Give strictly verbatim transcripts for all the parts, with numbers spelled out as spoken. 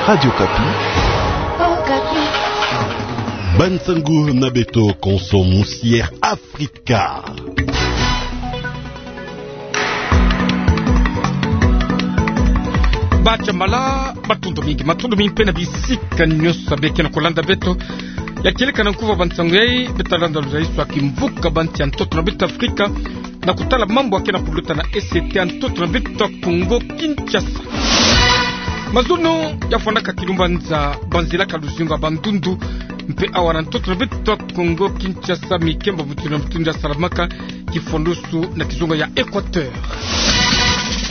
Radio Okapi. Okapi. Bansangu na beto konso musier Afrika. Bachambala, matondo mingi, matondo mingi mpe na bisika nyonso beke na kolanda beto. Ya kieleka na nkuva bansangu yai, beta landa luzaiso ya kimvuka bansi ya ntoto na beto Afrika, na kutala mambu yake na kuluta na E C T ya ntoto na beto Kongo Kinshasa. Mazono ya fwanaka kilumbanza banzila ka luzingu ya Bandundu, mpe awa na ntoto na beto Kongo Kinshasa, mikemba mutindu na mutindu ya salamaka, kifwandosu na kizunga ya Équateur.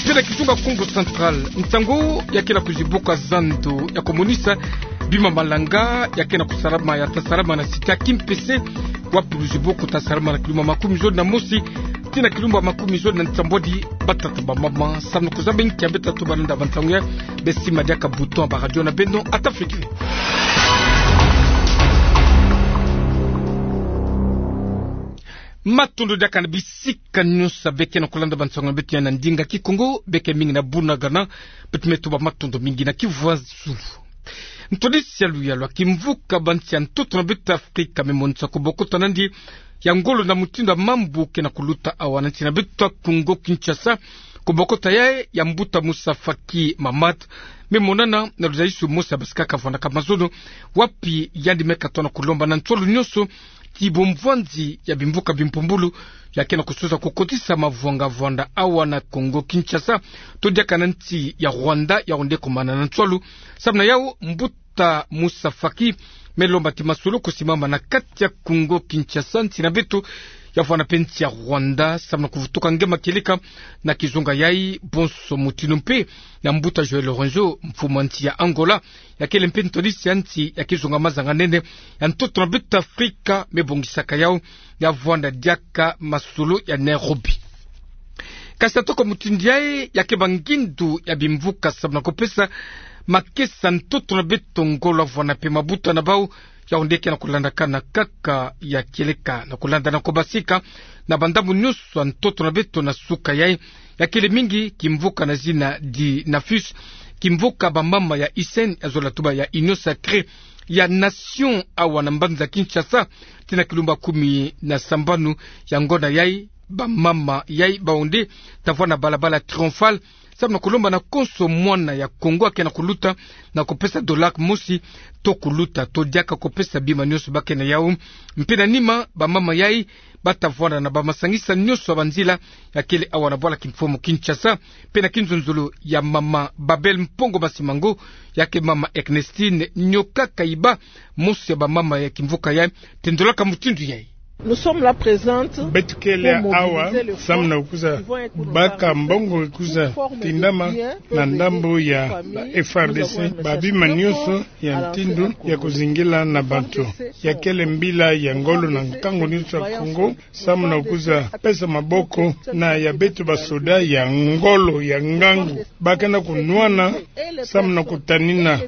Mpe na kizunga Kongo Central, nsangu yake na kuzibuka zando ya komonisa bima malanga yake na kusalama, ya ta salama na site ya Kimpese, wapi luzibuku ta salama na kilumbu makumi zole na mosi tii na kilumbu makumi zole na nsambwadi. Batata, bamama, samu na kuzaba nki ya beta tuba nda bansangu yai, besi madiaka bouton ya ba radio na beno, ata fekile. Matondo diaka na bisika nyonso beke na kolanda bansangu na beto ya na ndinga Kikongo, beke mingi na Bunagana, beto me tuba matondo mingi na Kivu ya Zulu. Ntwadisi ya luyalu ya kimvuka bansi ya ntoto na beto Afrika me monisa kobokota nandi ya ngolo na mutindu ya mambu ke na kuluta awa na nsi na beto Kongo Kinshasa. Kobokota yai ya mbuta Moussa Faki Mahamat me monana na luzaiso mosi ya basika ka fwanaka mazono, wapi yandi me katoa na kulomba na nswalu nyonso ti bomvwanzi ya bimvuka bimpumbulu yake na kusosa kukotisa mavwanga vwanda awa na Kongo Kinshasa, to diaka na nsi ya Rwanda, yao nde komana na nswalu. Samu na yau, mbuta Moussa Faki me lomba ti masolo kusimama na kati ya Kongo Kinshasa, nsi na beto, ya vwanda mpe nsi ya Rwanda, samu na kuvutuka nge makieleka na kizunga yai bonso mutindu, mpe na mbuta Joël Lorenzo, mfumu ya nsi ya Angola, ya kele mpe ntwadisi ya nsi ya kizunga mazanga nene ya ntoto na beto Afrika, me bongisaka yau ya vwanda diaka masolo ya Nairobi. Kasi atoko mutindu yai, ya ke bangindu ya bimvuka samu na kupesa makesa ntoto na beto ngolo ya vwanda mpe mabuta na bau, yao nde ke na kulandakana kaka ya kieleka na kulanda na kubasika na bandambu nyonso ya ntoto na beto na suka yai, ya kele mingi kimvuka na zina di Nafus, kimvuka bamama ya U S N, ya zola tuba ya Union Sacrée ya Nation, awa na mbanza Kinshasa, tii na kilumbu kumi na sambanu ya ngonda yai. Bamama yai bau nde ta vwanda na balabala Triomphal, samu na kulomba na konso mwana ya Kongo ya ke na kuluta na kupesa dollar mosi, to kuluta to diaka kupesa bima nyonso ba ke na yau. Mpe na nima, bamama yai ba ta vwanda na bamasangisa nyonso ya banzila ya kele awa na bwala kimfumu Kinshasa, mpe na kinzonzolo ya mama Babel Mpongo Masimango, ya ke mama Ernestine Nyoka Kayiba, mosi ya bamama ya kimvuka yai, tendolaka mutindu yai. Nous sommes là présentes. Beto kele awa samu na kwiza baka mbongo kwiza tindama na ndambu ya F R D C, babima nyonso ya ntindu ya kuzingila na bantu. Ya kele mbila ya ngolo na nkangu nyonso ya Kongo, samu na kwiza pesa maboko na ya beto basoda ya ngolo, ya ngangu, ba ke na kunwana samu na kutanina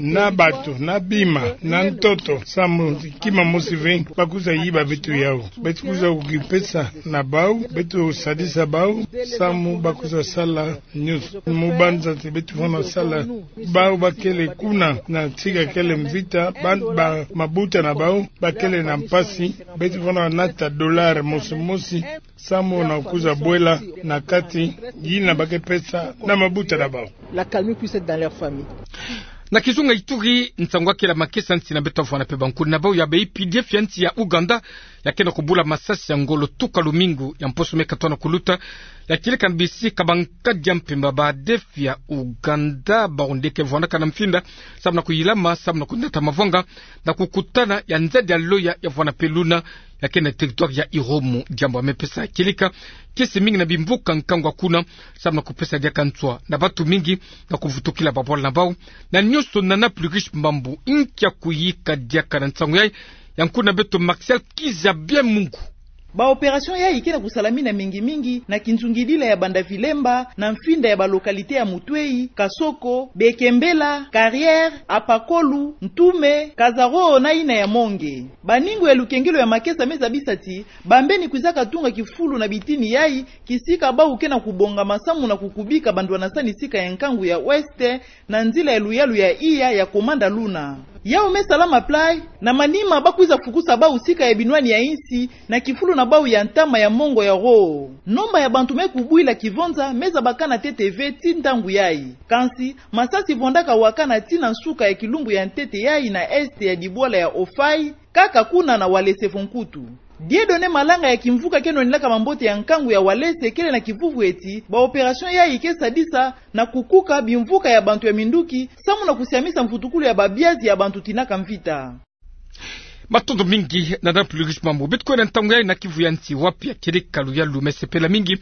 na bato, na bima, na ntoto, samu kima mosi ve ba kwiza yiba beto yau. Beto kwiza kukipesa na bau, beto sadisa bau, samu ba kwiza sala nyonso. Mu banza ti beto vwanda sala, bau ba kele kuna na tika kele mvita, ba, ba mabuta na bau ba kele na mpasi, beto vwanda nata dollar mosi mosi, samu na kwiza bwela na kati, yina ba ke pesa na mabuta na bau. L'accalmie puisse être dans leur famille. Na kizunga Ituri, nsangu ya kele makesa nsi na beto ya vwanda mpe bankuni na bau ya ba U P D F ya nsi ya Ouganda, ya ke na kubula masasi ya ngolo tuka lumingu ya mposo me katoa na kuluta, ya kieleka na bisika bankadi ya mpemba ba A D F ya Ouganda, bau nde ke vwandaka na mfinda, samu na kuyilama, samu na kunata mavwanga, na kukutana ya nzadi ya loya ya vwanda mpe luna, ya ke na territoire ya Irumu, diambu ya me pesa kieleka kiese mingi na bimvuka nkangu ya kuna, samu na kupesa diaka nswa na bato mingi na kuvutukila babwala na bau, na nyonso nana plus riche mambu. Inki ya kuyika diaka na nsangu yai, ya nkuni na beto Martial Kizabia Mungu. Ba opération yayi ke na kusala mina mingi-mingi na kinzungidila ya Banda-Vilemba, na mfinda ya ba localité ya Moutouéhi, Kasoko, Bekembela, Carrière, Apakolu, Ntoume, Kazaro na yina ya Monge. Baningo ya lukengelo ya makesa me zabisa ti bambeni kwizaka tunga kifulu na bitini yayi, kisika bawu ke na kubonga masamu na kukubika bandwanasani sika ya nkangu ya Ouest, na nzila ya luyalu ya iya ya Komanda Luna. Yawu me salama plat, na manima ba kwiza fukusa bawu sika ya binwani ya insi, na kifulu na bawu ya ntama ya mongo ya Roo. Nomba ya bantu me kubwila kivonza me zabakana ntete ve ti ntangu yayi. Kansi, masasi vondaka wakana ti na nsuka ya kilumbu ya ntete yayi na est ya dibwala ya Ofai, kaka kuna na Walese vo nkutu. Dieudonné Malanga ya kimvuka ke nwanilaka mambote ya nkangu ya Walese kele na kivuvu ti ba opération yayi ke sadisa na kukuka bimvuka ya bantu ya minduki, samu na kusiamisa mvutukulu ya babiazi ya bantu tinaka mvita. Matondo mingi na Dame Plurish Mambu. Beto kwenda ntangu yayi na Kivu ya nsi, wapi ya kieleka luyalu me sepela mingi,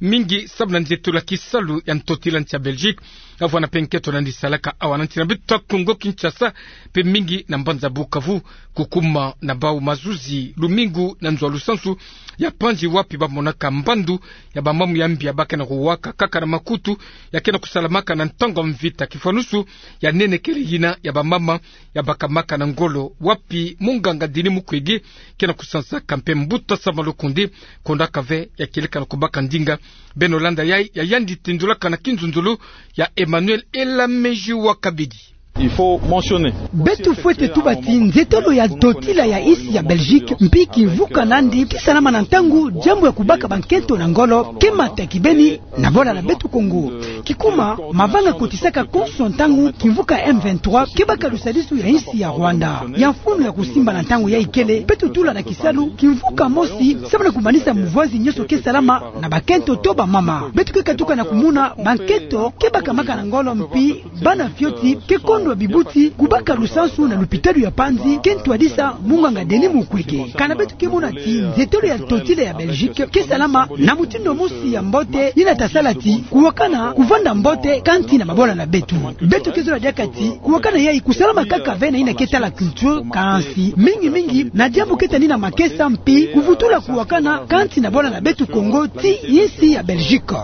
mingi samu na nzietolo ya kisalu ya ntotila nsi ya Belgique, ya vwanda mpe nkento nandi salaka awa na nsi na beto Kongo Kinshasa, mpe mingi na mbanza Bukavu, kukuma na bawu mazuzi lumingu na nzo ya lusansu ya panzi, wapi ba monaka mbandu ya bamamu ya mbi ya ba ke na kuwaka kaka na makutu, ya ke na kusalamaka na ntangu ya mvita. Kifwanusu ya nene kele yina ya bamama ya bakamaka na ngolo, wapi munganga Denis Mukwege ke na kusansaka mpe mbuta Sama Lukonde, kondaka ve ya kieleka na kubaka ndinga. Beno landa yayi, ya yandi tendulaka na kinzonzolo ya Emmanuel Elameji wa Kabedi. Il faut mentionner. Beto fwete tuba ti nzietolo ya ntotila ya insi ya Belgique, mpi kimvuka nandi, ke salama na ntangu diambu ya kubaka bankento na ngolo ke mata kibeni na bola na beto Kongo. Kikuma, mavanga kotisaka konso ntangu kimvuka M vingt-trois ke baka lusadisu ya insi ya Rwanda. Ya mfunu ya kusimba na ntangu yayi kele, beto tula na kisalu kimvuka mosi, samu na kumanisa muvwazi nyonso ke salama na bankento to bamama. Beto ke katuka na kumona bankento ke bakamaka na ngolo, mpi bana fioti ke kondwa bibuti kubaka lusansu na lupitalu ya panzi, ke ntwadisa munganga Denis Mukwege. Kana beto ke mona ti nzietolo ya ntotila ya Belgique ke salama na mutindu mosi ya mbote, yina ta sala ti kuwakana kuvanda mbote kati na mabola na beto. Beto ke zola diaka ti kuwakana yayi kusalama kaka ve na yina ke tala culture, kansi mingi-mingi na diambu ke tani na makesa, mpi kuvutula kuwakana kati na bola na beto Kongo ti insi ya Belgique.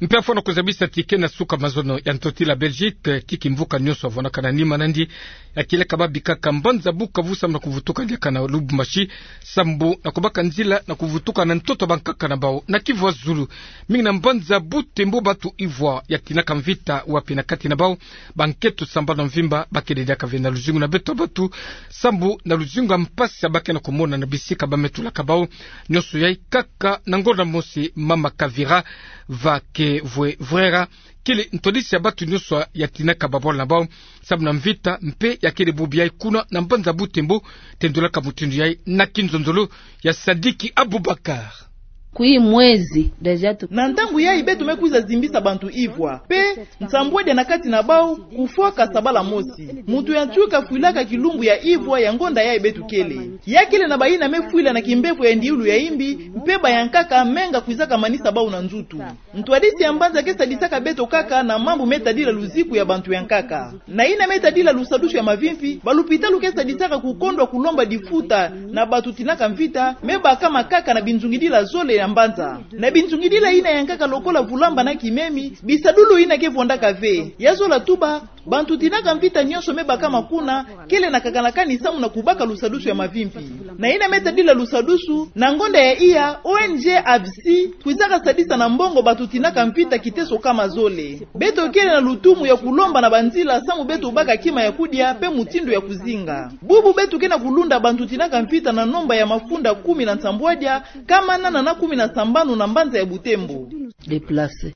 Mpe afwana kuzabisa ti ke na suka mazono ya ntotila Belgique, ti kimvuka nyonso avwanaka na nima nandi, ya kieleka ba bikaka mbanza Bukavu samu na kuvutuka diaka na Lubumbashi, sambu na kubaka nzila na kuvutuka na ntoto bankaka na bawu na Kivu ya zulu. Mingi na mbanza Butembo, bantu ivwa ya tinaka mvita, wapi na kati na bawu bankento sambanu mvimba ba kele diaka ve na luzingu na beto bantu, sambu na luzingu ya mpasi ya ba ke na kumona na bisika ba me tulaka bawu. Nyonso yayi kaka na ngonda mosi, mama Kavira Vakevwevwera kele ntwadisi ya bantu nyonso ya tinaka babola na bawu samu na mvita, mpe ya kele bubu yayi kuna na mbanza Butembo, tendulaka mutindu yayi na kinzonzolo ya Sadiki Abubakar. Kui mwezi déjà tu- Na ntangu yayi beto me kwiza zimbisa bantu ivwa, mpe nsambwadia na kati na bawu kufwaka sabala mosi. Muntu ya ntu kafwilaka kilumbu ya ivwa ya ngonda yayi beto kele. Ya kele na bayina me fwila na kimbevo ya ndiulu ya imbi, mpe bayankaka menga kwizaka manisa bawu na nzutu. Ntwadisi ya mbanza ke sadisaka beto kaka na mambu me tadila luziku ya bantu ya nkaka. Na yina me tadila lusadusu ya mavimpi, balupitalu ke sadisaka kukondwa kulomba difuta na bantu tinaka mvita, me bakama kaka na binzungidila zole ya mbanza. Na binzungidila yina ya nkaka lokola vulamba na kimemi, bisadulu yina ke vwandaka ve. Ya zola tuba, bantu tinaka mvita nyonso me bakama kuna, kele na kakanakani samu na kubaka lusadusu ya mavimpi. Na yina me tadila lusadusu, na ngonda ya iya, O N G A V C kwizaka sadisa na mbongo bantu tinaka mvita kiteso kama zole. Beto kele na lutumu ya kulomba na banzila samu beto baka kima ya kudia mpe mutindu ya kuzinga. Bubu beto ke na kulunda bantu tinaka mvita na nomba ya mafunda kumi na nsambwadia, kama nana na kumi na sambanu na mbanza ya Butembo. Déplacé.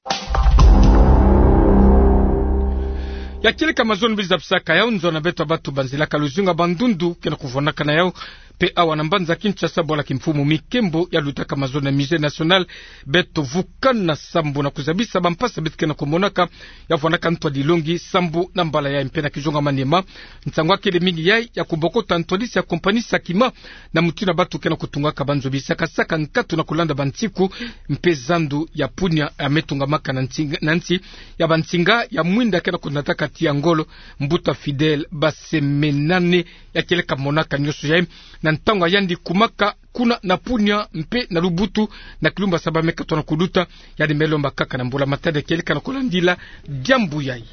Ya kieleka mazono biza bisaka yawu nzo na beto bantu banzilaka luzingu ya bandundu ke na kuvwanaka na yawu. Mpe awa na mbanza Kinshasa, bwala kimfumu Mikembo ya lutaka mazono na Musée National, beto vukana sambu na kuzabisa bampasi beto ke na kumonaka, ya vwanaka ntwadilongi sambu na mbala yayi mpe na kizonga manima. Nsangu ya kele mingi yayi ya kubokota ntwadisi ya compagnie Sakima, na mutindu bantu ke na kutungaka banzo bisakasaka nkatu na kulanda bansiku, mpe zandu ya punia ya me tungamaka na nsinga, na nsi ya bansinga ya mwinda ke na kunataka ti ya ngolo, mbuta Fidèle Basemenane ya kieleka monaka nyonso yayi. na ntangu yandi kumaka kuna na Punia mpe na Lubutu, na kilumbu ya saba me katona kuluta. Yandi me lomba kaka na mbula-matadi ya kieleka na kolandila diambu yai.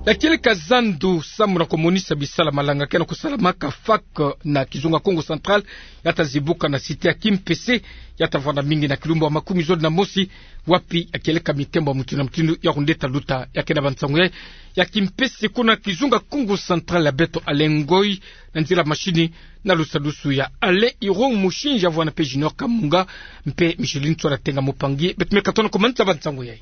Ya kieleka zandu samu na komonisa bisala malanga ke na kosalamaka FAK na kizunga Kongo Central, ya ta zibuka na cité ya Kimpese, ya ta vwanda mingi na kilumbu ya makumi zole na mosi, wapi ya kieleka mitembo ya mutindu na mutindu ya kundeta luta. Ya ke na bansangu yai ya Kimpese kuna kizunga Kongo Central, ya beto Alain Ngoy, na nzila mashini na lusalusu ya Alain Irong Mushinja, vwanda mpe Junior Kamunga mpe Micheline Tswara Tenga Mupangi. Beto me katona komanisa bansangu yai.